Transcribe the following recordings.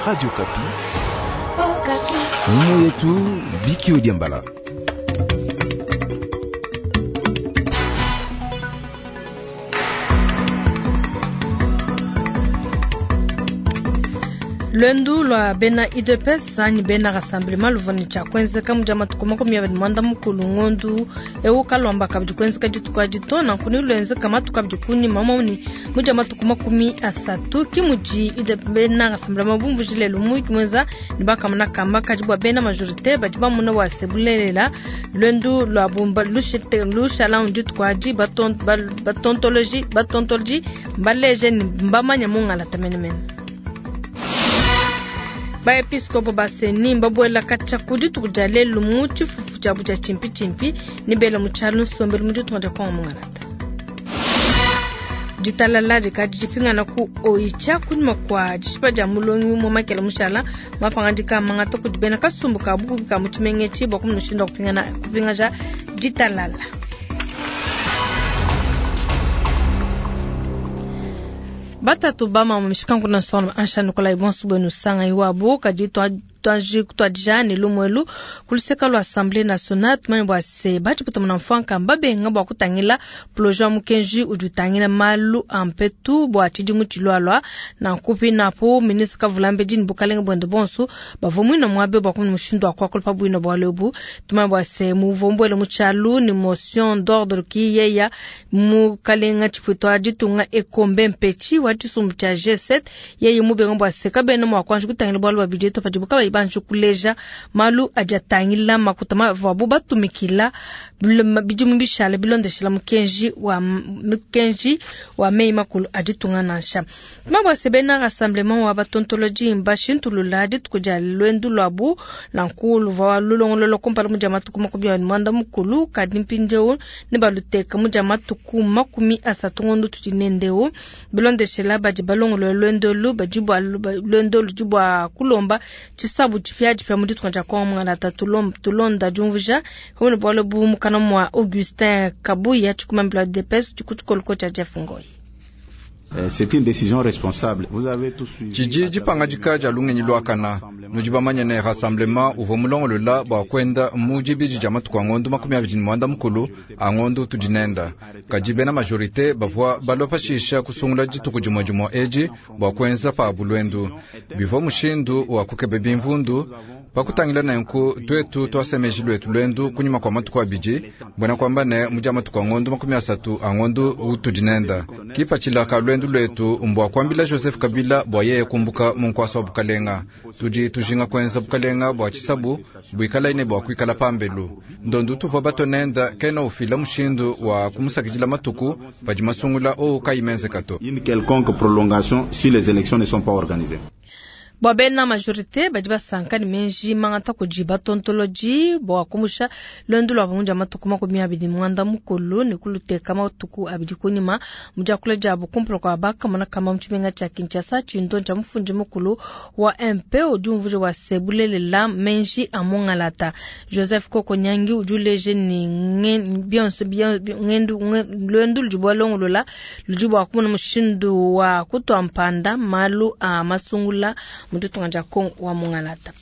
Radio Kapi. Mumu yetu Biki Odiambala. Lwendu lwa bena UDPS anyi bena Rassemblement luvua ne tshia kuenzeka mu dia matuku 29 ngondu eu kalwamba kabidi kuenzeka dituku adi to nanku ne luenzeka matuku abidi kunyima moni mu dia matuku 30 ki mudi UDPS bena Rassemblement bumvuje lelu muyuki muenza ne bakamona kamba kadi bua bena majorité badi bamona wa se bulelela lwendu lwa bumba lushala dituku adi batontoloji batontoloji mbaleje ne mbamanya mungalata menemene. Baepiskopo ba CENI mbabuela katshia ku dituku dia lelu mu tshifufu tshiabu tshia tshimpi-tshimpi ne bela mu tshialu nsombelu mu ditunga dia Kongo mungalata. Ditalala dikadi dipingana ku Oicha kunyima kua dishipa dia mulongi umue Makela Mushala mapangadika mangata kudi bena kasumbu ka bukubi ka mu tshimenga etshi bua kumona mushindu wa kupingaja ditalala. Batatu ba mama mishikanku na nsonga ansha Nikolai bonso bwenu sanga iwabo kadi twanji kutwadija ne lumwelu kuluseka lwa Assemblée nationale tumanye bua se batshiputa muna mfuanka mbabenga bua kutangila projet wa mukenji udi utangila malu a mpetu bua tshidimu tshilualua nanku pinapo ministre Kavulambedi ne bukalenge buende bonso bavua muina muabe bua kumona mushindu wa kuakula pa buina bualu ebu tumanye bua se muvua mbuele mu tshialu ne motion d'ordre ki yeya mukalenga tshipuita wa ditunga ekombe mpetshi wa tshisumbu tshia G7 yeye mubenga bua se kabena mua kuanji kutangila bualu bua bidieto padibu kabayi banji kuleja malu adi atangila makuta mavuabu batumikila bidimu bishala bilondeshela mukenji wa meyi makulu a ditunga nansha. Tumabwa se bena rassemblement wa batontoloji mbashintulula dituku dia lwendu lwabu nanku luvua lulongolola kumpala mu dia matuku 29 kadi mpindieu ne baluteka mu dia matuku 30 ngondo tudi nendeu bilondeshela badi balongolola lwendo badi bua lwendo ludi bua kulomba tshisabu tshipiatshipia mu ditunga dia Kongo mungalata tulonda diumvuja pamue ne bualu bu mukana mua Augustin Kabuya tshikumambila DPS tshikutshikoloko tshia Jeff Ngoyi. C'est une décision responsable. Vous avez tous suivi. Tshidi dipangadika dia lungenyi luakana nudi bamanye ne rassemblement uvua mulongolola bua kuenda mu dibidi dia matuku a ngondo 29 a ngondo tudi nenda kadi bena majorité bavua balua pashisha kusungula dituku dimue dimue edi bua kuenza pabu lwendu bivua mushindu wa kukeba bimvundu pakutangila nenku tuetu twasemeji lwetu lwendu kunyima kwa matuku abidi mbona kwamba ne mu dia matuku a ngondo 30 a ngondo utudi nenda kipatshila ka lwendu lwetu mbwa kwambila Joseph Kabila bwa yeye kumbuka munkwasa wa bukalenga tudi tujinga kwenza bukalenga bwa tshisabu buikala ine bwa kuikala pambelu ndondu tuvua batonenda kena ufila mushindu wa kumusakidila matuku padi masungula ou kayimenzeka to. Une quelconque prolongation si les élections ne sont pas organisées. Bua bena majorité badi basanka ne menji mangata kudi batontoloji bua kumusha lwendu lua mu dia matuku 29 ne kuluteka matuku abidi kunyima mu diakula diabu kumpala kua bakamona kamba mu tshimenga tshia Kinshasa tshindo tshia mufundi mukulu wa MP udi umvuja wa se bulelela menji a mungalata Joseph Kokonyangi udi uleje ne bionso ngendu lwendu ludi bua longolola ludi bua kumona mushindu wa kutua mpanda malu a masungula mututunga dia Kongo wa mungalata.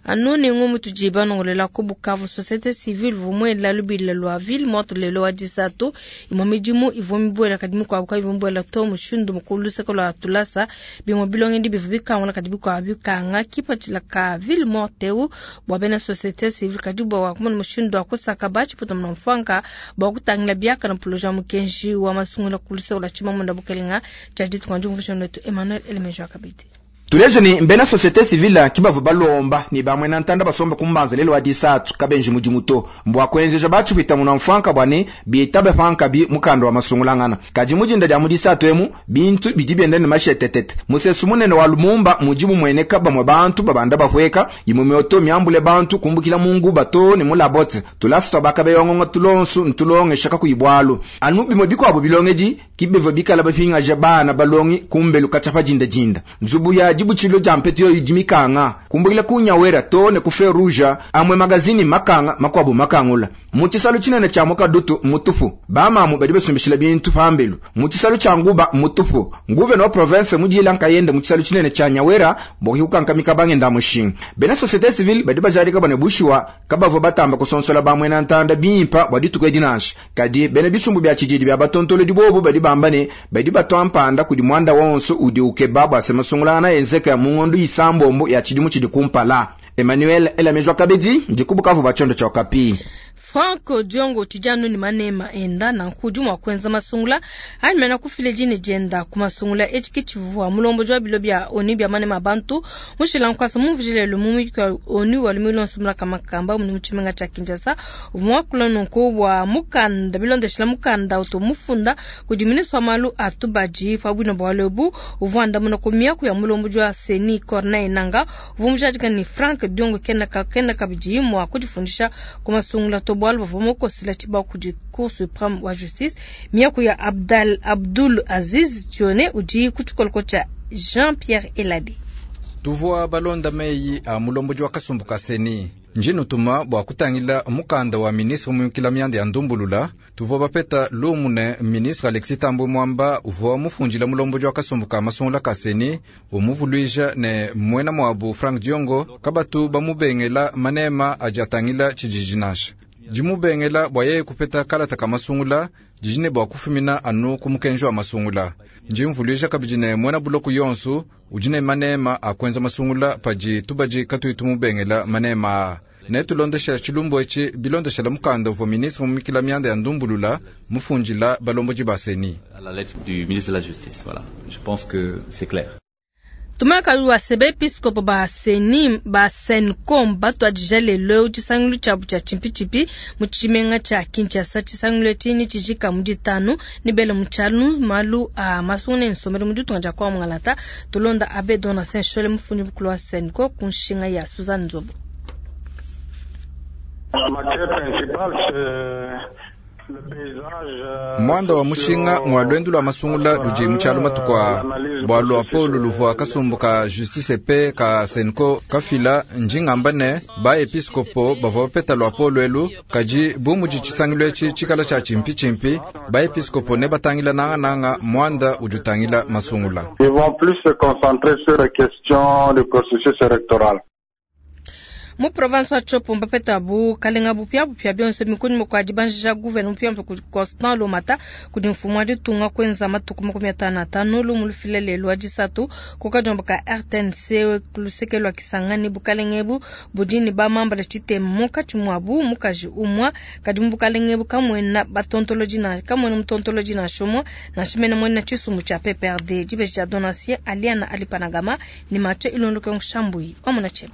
Anu ne ngumu tujiba nongolela ku Bukavu société civile vumwe la lubila lwa ville morte lelo wa disatu imwe midimu ivua mibuela kadi mikuabu kayivua mibuela to mushindu mukulu luseke lwa tulasa bimwe bilongendi bivua bikangula kadi bikuabu bikanga kipatshila ka ville morte eu bua bena société civile kadi bua kumona mushindu wa kusaka batshiputa muna mfuanka bua kutangila biakana projet wa mukenji wa masungula ku luseke lwa tshimamunda bukelenga tshia ditunga diumvuija netu Emmanuel Elemejo akabidi. Tuleje ni mbena société civile kibavu balomba ni bamwe na ntanda basombe kumbanza lelo wa disatu kabenji mudimu to mbwa kwenzeja bachipita muna mfanka bwane bietabe panka bi mukando wa masungulangana kadi mujinda dia mudisatu emu bintu bidi biende ne mashetetete musesu munene wa Lumumba mujibu mwene kaba mwe bantu babanda bahweka imwe mioto miambule bantu kumbukila mungu bato ni mulabote tulasa bakabe yongongo tulonsu ntulonge shaka kuibwalu anu bimwe bikwabo bilongeji kibevo bikala bafinga jabana balongi kumbelu kachapa jinda jinda nzubu ya dibutshilu dia mpetu yoyi dimikanga kumbukila kunyawera to ne ku feu rouge amwe magazini makanga makuabu makangula mu tshisalu tshinene tshia mukadutu mutupu bamamu badi basumbishila bintu pambelu mu tshisalu tshia nguba mutupu nguvena wa province mudila nkayende mu tshisalu tshinene tshia nyawera boki kukankamika bangenda mushinga bena société civile badi bajalika bane bushiwa kabavua batamba kusonsola bamwena ntanda bimpa bua dituku edi nansha kadi bena bisumbu bia tshididi bia batontolo dibobu badi bamba ne badi batwa mpanda kudi mwanda wonso udi ukeba bua se masungulana enzeka mu ngondo isambombo ya tshidimu tshidi kumpala. Emmanuel Elamejwa Kabedi ndikubukavu bachondo cha Okapi. Frank Diongo tijanu ni manema enda na nkudi mwa kwenza masungula anyi mena kufile jini jenda kumasungula echiki chivua mulombo jwa bilo bya oni bya manema bantu mushila nkwasa mumvujile lumumi kwa oni walumilo nsumula kama kamba muni muchimenga cha Kinshasa uvumwa kula nonko wa mukanda bilondeshela mukanda uto mufunda kudiminisa malu atubaji fabwino bwalebu uvwanda muno kumiaku ya mulombo jwa Seni Corneille Nanga uvumujajika ni Frank Diongo kena kena kabiji mwa kujifundisha kumasungula to bwalu bavua mukosela tshibawu kudi Cour supreme wa justice miaku ya Abdal Abdul Aziz Tione udi ku tshikoloko tshia Jean-Pierre Elade. Tuvua balonda meyi a mulomboji wa kasumbu ka Seni njinutuma bua kutangila mukanda wa ministre muyukila mianda ya ndumbulula. Tuvua bapeta lumu ne ministre Alexis Thambwe Mwamba uvua mufundila mulomboji wa kasumbu ka masungula ka Seni umuvuluija ne mwena muabu Frank Diongo kabatu bamubengela manema adi atangila tshididi nansha dimubengela bua yeye kupeta kalata ka masungula dijine bua kufumina anu ku mukenji wa masungula. Ndimvuluija kabidi ne mwena buloku yonsu udi ne manema a kuenza masungula padi tubadi katuyi tumubengela manema aa. Ne tulondesha tshilumbu etshi bilondeshela mukanda uvua ministre mumikila mianda ya ndumbulula mufundila balomboji ba Seni. À la lettre du ministre de la Justice, voilà. Je pense que c'est clair. Tumaka wa sebe episkopo ba seni ba senkom batu adija lelo tshisangilu tshiabu tshia tshimpichimpi mu tshimenga tshia Kinshasa. Tshisangilu etshi ni tshijika mu ditanu ni bele mu tshialu malu a masungu ne nsombelu mu ditunga dia kwa Mwangalata. Tulonda Abbé Donatien Nshole mufundi mukulu wa Senko ku nshinga ya Suzanne Nzobo. La matière principale, c'est le paysage. Mwanda wa mushinga mwa lwendu lwa masungula ludi mu tshialu matuku a bua lua polu luvua kasumbu ka justice pe ka Senko kafila njingamba ne ba episkopo bavua bapeta lua polu elu kadi bu mudi tshisangilu etshi tshikala tshia tshimpi-tshimpi ba episkopo ne batangila nangananga mwanda udi utangila masungula. Ils vont plus se concentrer sur les questions du processus électoral. Mu province wa Tshopo mbapeta bu kalenga bupya bupya bionso mikuni mukwa dibanjija gouverneur mupya mpe Constant Lomata kudi mfumu wa ditunga kwenza matuku 55 lumu lufile lelu wa disatu kukajomba ka RTNC luseke lwa Kisangani bukalenga ebu budi ne bamambala tshitema munkatshi muabu mukaji umwa kadi mu bukalenga ebu kamwena batontoloji na kamwena mutontoloji na shomo na shimene mwena tshisumbu tshia PPRD dibeji dia Donatien Aliana Alipanagama ni Mathieu Ilondoke Ngshambui wamona tsheba.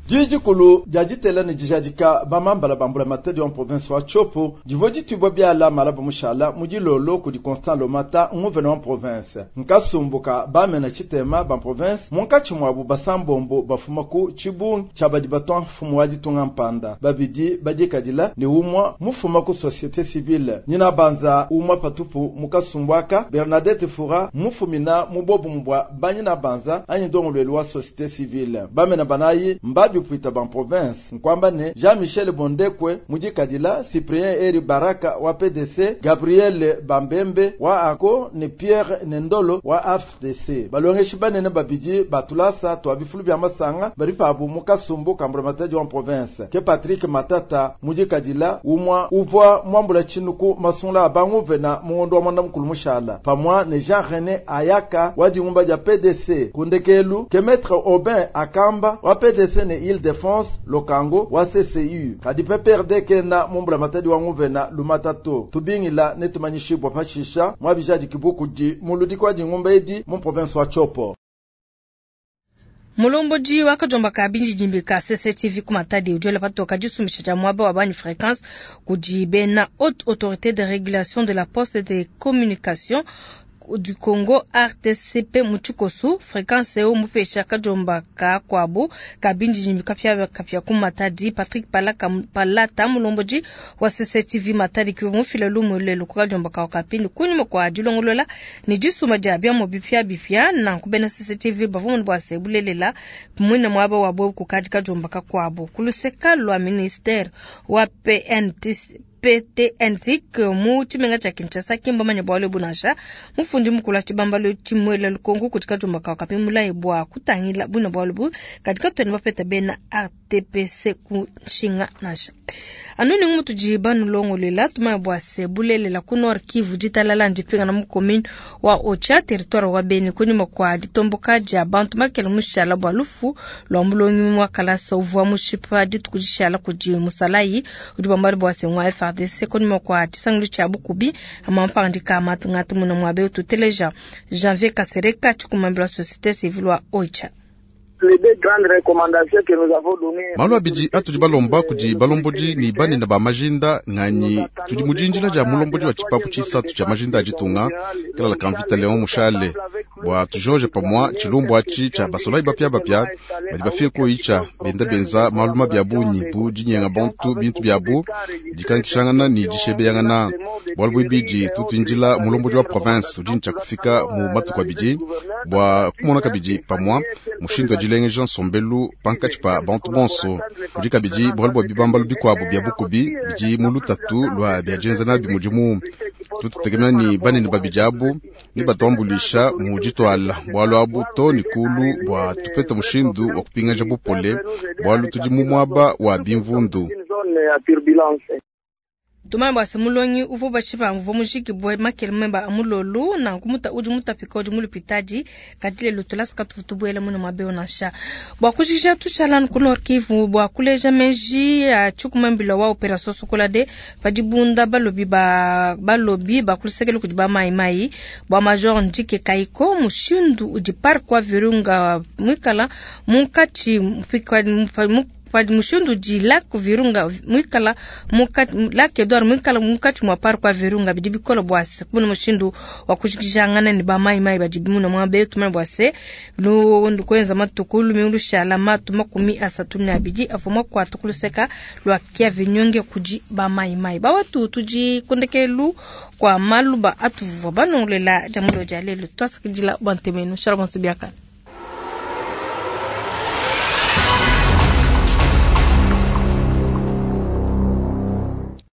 Jijikulu dia ditela ne dijadika bamambala bambula matadi wa province wa Tshopo divua ditubwa biala malaba mushala mu dilolo kudi Constant Lomata nguvena wa province nkasumbuka bamena tshitema ba province munkatshi muabu basambombo bafuma ku tshibungi tshia badi batwa mfumu wa ditunga mpanda babidi badikadila ne umwa mufuma ku société civile nyina banza umwa patupu mukasumbwaka Bernadette Fura mufumina mubobu mbwa banyina banza anyi ndongolwelu wa société civile bamena banayi mbabi pwita ban province nkwamba ne Jean-Michel Bondekwe mudikadila Cyprien Eri Baraka wa PDC Gabriel Bambembe wa ACO ne Pierre Nendolo wa AFDC balongeshi banene babidi batulasa twa bifulu bya masanga bari pabu mukasumbu kambula matadi wa province ke Patrick Matata mudikadila umwa uvwa mwambula chinuku masungula abanguvena mugondo wa mwanda mukulu mushala pamwa ne Jean-René Ayaka wa dingumba dia PDC kundekelu ke Maître Aubin Akamba wa PDC ne Ile-de-France Lokango wa CCU kadi PPRD kena mumbula matadi wa nguvena lumatato tubingila ne tumanyishibwa pashisha mwabijadi kibukudi muludiki wa dingumba edi mu province wa Tshopo. Mulomboji wakajomba ka binji jimbi ka CCTV ku Matadi udi patoka disumbisha dia muaba wa bani fréquence kudi bena haute autorité de régulation de la poste et des communications. du Congo RTCP mu tshikosu. Fréquence eu mupesha kajomba ka kwabu kabindi kapya kapya ku Matadi. Patrick Palaka Palata mulomboji wa CCTV Matadi ki mufila lumu lelo ku kajomba ka kapindi kunyuma kwa dilongolola ni disuma dia bia bipya bipya na kubena CCTV bavumu bwa sebulelela mwina mwaba wa bobu kukaji kajomba ka kwabo kuluseka lwa ministère wa PNTC PTNTIC mu tshimenga tshia Kinshasa kimba manya bwalo bunasha mufundi mukulu tshibambalo tshimwela lukongo kutika jumba ka kapimula bwa kutangila buna bwalo bu katika twene bapeta bena RTPC ku nshinga nasha anuni ngumu tujiba nulongolela tumaya bwa sebulelela ku Nord Kivu ditalala ndipinga na mu commune wa Ocha territoire wa Beni kunyuma kwa ditomboka dia bantu makele mushala bwa lufu lwa mulongi mwa kalasa uvwa mushipa ditukujishala kudi musalayi udi bambali bwa sengwa FARDC kunyuma kwa tshisangilu tshia bukubi amampangandika matungatu muna mwabe ututeleja Janvier Kasereka tshikumambila société civile wa Ocha. Malu abidi atudi balomba kudi balombodi ni banene ba majinda nganyi tudi mudinjila dia mulombodi wa tshipapu tshisatu tshia majinda a ditunga kalala ka mvita Leon Mushale bua tujoje pamua tshilumbu atshi tshia basolai bapia bapia badi bafike koyitsha benda benza malu mabi a bungi bu dinyenga bantu bintu biabu dikankishangana ni dishebeyangana. Bualu buibidi tutuindila mulombodi wa province udi ntshia kufika mu matuku abidi bua kumona kabidi pamua mushindu wa dilengeja nsombelu pankatshi pa bantu bonso. Udi kabidi bualu bua bibambalu bikuabu bia bukubi bidi mu lutatu lua bia dienza nabi mudimu. Tututekemena ni banene babidi abu ni batuambulisha mu ditwala bualu abu to ni kulu bua tupete mushindu wa kupingaja bupole bualu tudi mu muaba wa bimvundu. Tumaya bwa semulongi uvo bashipa uvo mujiki bwe makele memba amulolu na kumuta udi mutapika udi mulupitadi kadile lutula sikatu buela muna mabeo nasha bwa kujija tushala ku Nord Kivu bwa kuleja meji ya chukumambila wa operation Sokola de padibunda balobi ba balobi ba kulisekele kudi ba mai mai bwa major Ndike Kaiko mushindu udi parc wa Virunga mwikala munkatshi padi mushindu di lac Virunga mwikala mukati lac Edouard mwikala mukati mwa parc wa Virunga bidi bikola bwase kubona mushindu wa kujijangana ni ba mai mai badi bimuna mwa betu mwa bwase lu ndukwenza matukulu miulushala matu 32 avuma kwa tukuluseka lwa kia vinyonge kuji ba mai mai bawatu tuji kondekelu kwa maluba atuvwa banongolela jamulo jalelo twasakidila bantemenu shalom biakana.